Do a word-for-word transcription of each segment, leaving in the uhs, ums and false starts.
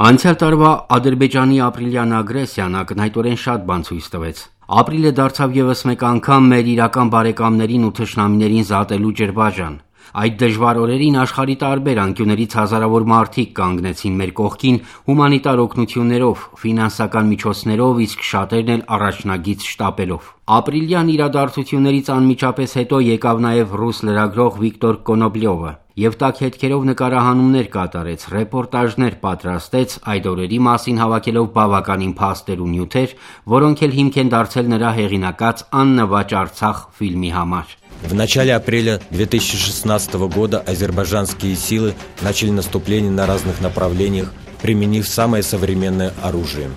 Անցյալ տարվա Ադրբեջանի ապրիլյան ագրեսիան ակնհայտորեն շատ բան ցույց տվեց։ Ապրիլը դարձավ ևս մեկ անգամ մեր իրական բարեկամներին ու թշնամիներին զատելու ջրբաժան։ Այդ դժվար օրերին աշխարհի տարբեր անկյուններից հազարավոր մարդիկ կանգնեցին մեր կողքին հումանիտար օգնություններով, ֆինանսական միջոցներով, իսկ շատերն էլ առաջնագիծ շտապելով։ Ապրիլյան իրադարձություններից անմիջապես հետո եկավ նաև ռուս լրագրող Վիկտոր Կոնոպլյովը եւ տաք հետքերով նկարահանումներ կատարեց, ռեպորտաժներ պատրաստեց, այդ օրերի մասին հավաքելով բավականին փաստեր ու նյութեր, որոնք էլ հիմք են դարձել նրա հեղինակած «Աննվաճ Արցախ» ֆիլմի համար։ В начале апреля две тысячи шестнадцатого года азербайджанские силы начали наступление на разных направлениях, применив самое современное оружие.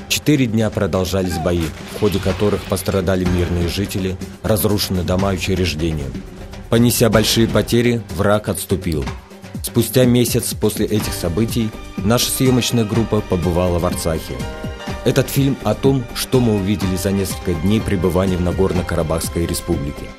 Четыре дня продолжались бои, в ходе которых пострадали мирные жители, разрушены дома и учреждения. Понеся большие потери, враг отступил. Спустя месяц после этих событий наша съемочная группа побывала в Арцахе. Этот фильм о том, что мы увидели за несколько дней пребывания в Нагорно-Карабахской республике.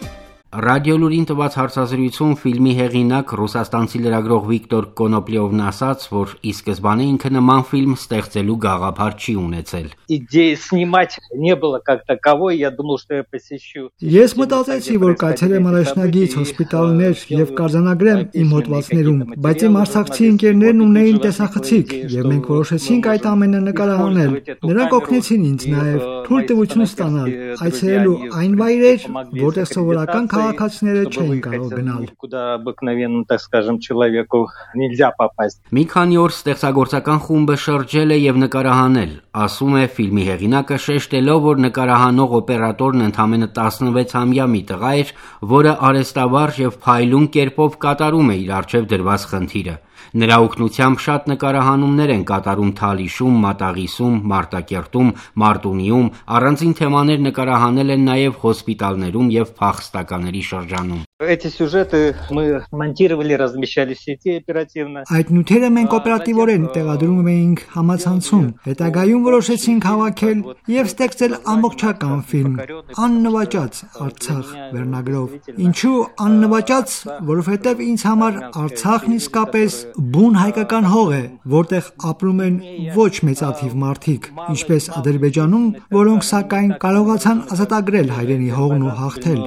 Ռադիոլուրին տված հարցազրույցում ֆիլմի հեղինակ ռուսաստանցի լրագրող Վիկտոր Կոնոպլյովն ասաց, որ ի սկզբանե ինքը նման ֆիլմ ստեղծելու գաղափար չի ունեցել։ Идеи снимать не было как таковой, я думал, что я посещу. Ես մտածեցի, որ կայցել եմ առաջնագիծ հոսպիտալներ եւ կարձանագրեմ իմ հոդվածներում, բայց իմ արցախցի ընկերներն ունեին տեսախցիկ եւ մենք որոշեցինք այդ ամենը նկարահանել։ Նրանք օգնեցին ինձ նաեւ թույլտվություն ստանալ այցելելու այն վայրեր, որտեղ սովորական քաղաքացիները չէին կարող գնալ։ Куда обыкновенному, так скажем, человеку нельзя попасть. Մի քանի օր ստեղծագործական խումբը շրջել է եւ նկարահանել, ասում է ֆիլմի հեղինակը, շեշտելով, որ նկարահանող օպերատորն ընդամենը տասնվեցամյա մի տղա էր, որը արհեստավարժ եւ փայլուն կերպով կատարում է իր առջեւ դրված խնդիրը։ Նրա օգնությամբ շատ նկարահանումներ են կատարում Թալիշում, Մատաղիսում, Մարտակերտում, Մարտունիում, առանձին թեմաներ նկարահանել են նաև հոսպիտալներում եւ փախստականների շրջանում։ Эти сюжеты мы монтировали, размещали в сети оперативно. Այդ նյութերը մենք օպերատիվորեն տեղադրում էինք համացանցում։ Հետագայում որոշեցինք հավաքել եւ ստեղծել ամբողջական ֆիլմ «Աննվաճած Արցախ» վերնագրով։ Ինչու աննվաճած, որովհետեւ ինձ համար Արցախն իսկապես բուն հայկական հող է, որտեղ ապրում են ոչ մեծաթիվ մարդիկ, ինչպես Ադրբեջանում, որոնք սակայն կարողացան ազատագրել հայրենի հողն ու հաղթել։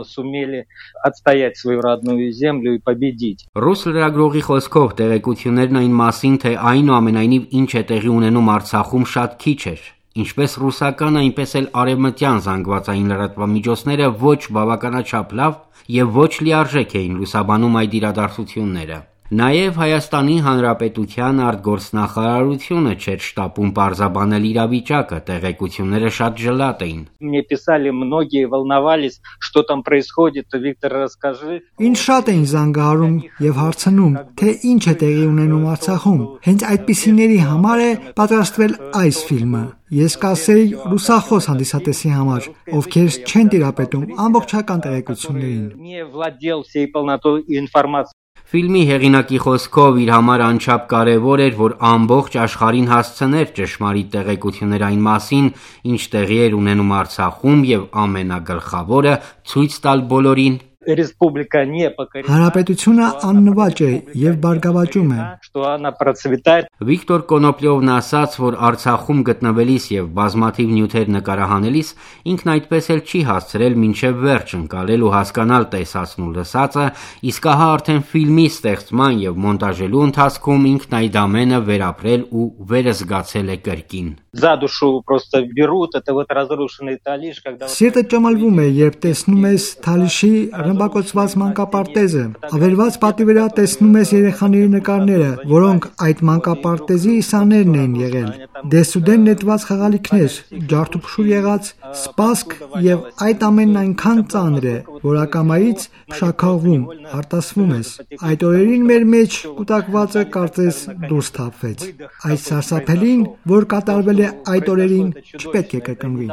Свою родную землю и победить. Ռուս լրագրողի խոսքով տեղեկություններն այն մասին, թե այնուամենայնիվ ինչ է տեղի ունենում Արցախում շատ քիչ էր, ինչպես ռուսական, այնպես էլ արևմտյան զանգվածային լրատվամիջոցները ոչ բավականաչափ լավ եւ ոչ լիարժեք էին լուսաբանում այդ իրադարձությունները։ Նաև Հայաստանի Հանրապետության արտգործնախարարությունը չէր շտապում պարզաբանել իրավիճակը, տեղեկությունները շատ ջլատ էին։ Мне писали многие, волновались, что там происходит, Виктор, расскажи. Ինչ շատ էին զանգահարում եւ հարցնում, թե ինչ է տեղի ունենում Արցախում։ Հենց այդպիսիների համար է պատրաստվել այս ֆիլմը։ Ես կասեի ռուսախոս հանդիսատեսի համար, ովքեր չեն տիրապետում ամբողջական տեղեկություններին։ Не владел всей полнотой информации. Ֆիլմի հեղինակի խոսքով իր համար անչափ կարևոր էր, որ ամբողջ աշխարհին հասցներ ճշմարիտ տեղեկություններ այն մասին, ինչ տեղի էր ունենում Արցախում եւ ամենագլխավորը ցույց տալ բոլորին, Республика не покорена. Հանրապետությունը աննվաճ է եւ բարգավաճում է։ Что она процветает. Վիկտոր Կոնոպլյովն ասաց, որ Արցախում գտնվելիս եւ բազմաթիվ նյութեր նկարահանելիս ինքն այդպես էլ չի հասցրել մինչեւ վերջ ընկալել ու հասկանալ տեսածն ու լսածը, իսկ ահա արդեն ֆիլմի ստեղծման եւ մոնտաժելու ընթացքում ինքն այդ ամենը վերապրել ու վերզգացել է կրկին։ За душу просто берут, это вот разрушенный Талиш, когда Սիրտը ճմլվում է, երբ տեսնում ես Թալիշի ռմբակոծված մանկապարտեզը։ Ավերված պատի վրա տեսնում ես երեխաների նկարները, որոնք այդ մանկապարտեզի իսաներն են եղել։ Դեսուդեն նետված խաղալիքներ, ջարդուփշուր եղած սպասք եւ այդ ամենն այնքան ծանր է, որ ակամայից փշաքաղվում, արտասվում ես։ Այդ օրերին մեր մեջ կուտակվածը կարծես դուրս թափվեց։ Այդ սարսափելին, որ կատարվել է այդ օրերին, չպետք է կրկնվի։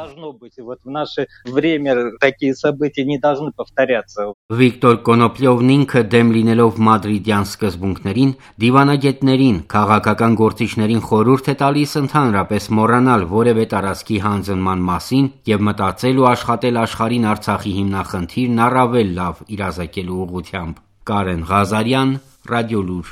Вот в наше время такие события не должны повторяться. Վիկտոր Կոնոպլյովն ինքը դեմ լինելով մադրիդյան սկզբունքներին, դիվանագետներին, քաղաքական գործիչներին խորհուրդ է տալիս ընդհանրապես մոռանալ որևէ տարածքի հանձնման մասին եւ մտածել ու աշխատել աշխարհին Արցախի հիմնախնդիրն առավել լավ իրազեկելու ուղղությամբ։ Կարեն Ղազարյան, Ռադիոլուր։